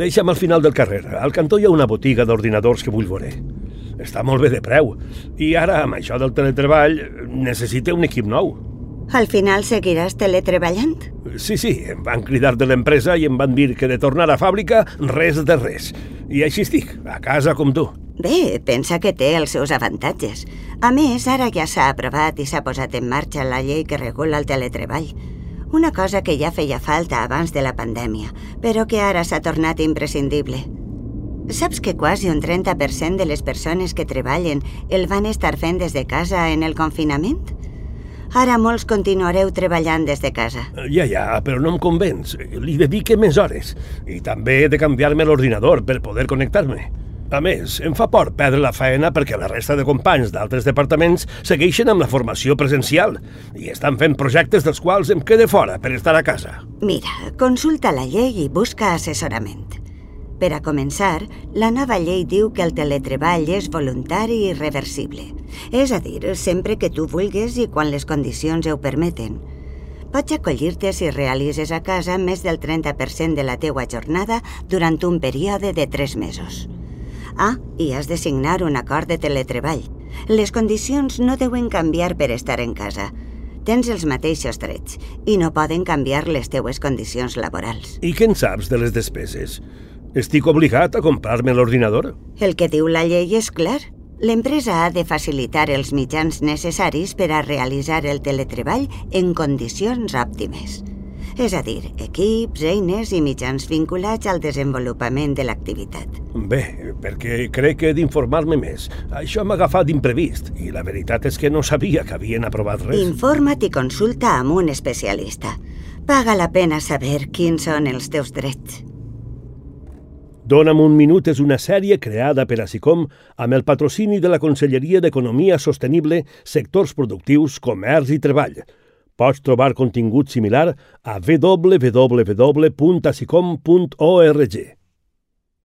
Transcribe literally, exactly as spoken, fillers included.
Deixa'm al final del carrer. Al cantó hi ha una botiga d'ordinadors que vull veure. Està molt bé de preu. I ara, amb això del teletreball, necessita un equip nou. Al final seguiràs teletreballant? Sí, sí, em van cridar de l'empresa i em van dir que de tornar a fàbrica, res de res. I així estic, a casa com tu. Bé, pensa que té els seus avantatges. A més, ara ja s'ha aprovat i s'ha posat en marxa la llei que regula el teletreball. Una cosa que ja feia falta abans de la pandèmia, però que ara s'ha tornat imprescindible. Saps que quasi un trenta per cent de les persones que treballen el van estar fent des de casa en el confinament? Ara molts continuareu treballant des de casa. Ja, ja, però no em convenç. Li dedique més hores. I també he de canviar-me l'ordinador per poder connectar-me. A més, em fa por perdre la feina perquè la resta de companys d'altres departaments segueixen amb la formació presencial i estan fent projectes dels quals em quede fora per estar a casa. Mira, consulta la llei i busca assessorament. Per a començar, la nova llei diu que el teletreball és voluntari i reversible. És a dir, sempre que tu vulguis i quan les condicions ho permeten. Pots acollir-te si realitzes a casa més del trenta per cent de la teua jornada durant un període de tres mesos. Ah, i has de signar un acord de teletreball. Les condicions no deuen canviar per estar en casa. Tens els mateixos drets i no poden canviar les teues condicions laborals. I què en saps de les despeses? Estic obligat a comprar-me l'ordinador? El que diu la llei és clar. L'empresa ha de facilitar els mitjans necessaris per a realitzar el teletreball en condicions òptimes. És a dir, equips, eines i mitjans vinculats al desenvolupament de l'activitat. Bé, perquè crec que he d'informar-me més. Això m'ha agafat d'imprevist i la veritat és que no sabia que havien aprovat res. Informa't i consulta amb un especialista. Paga la pena saber quins són els teus drets. Dóna'm un minut és una sèrie creada per ASICOM amb el patrocini de la Conselleria d'Economia Sostenible, Sectors Productius, Comerç i Treball. Pots trobar contingut similar a w w w punt asicom punt org.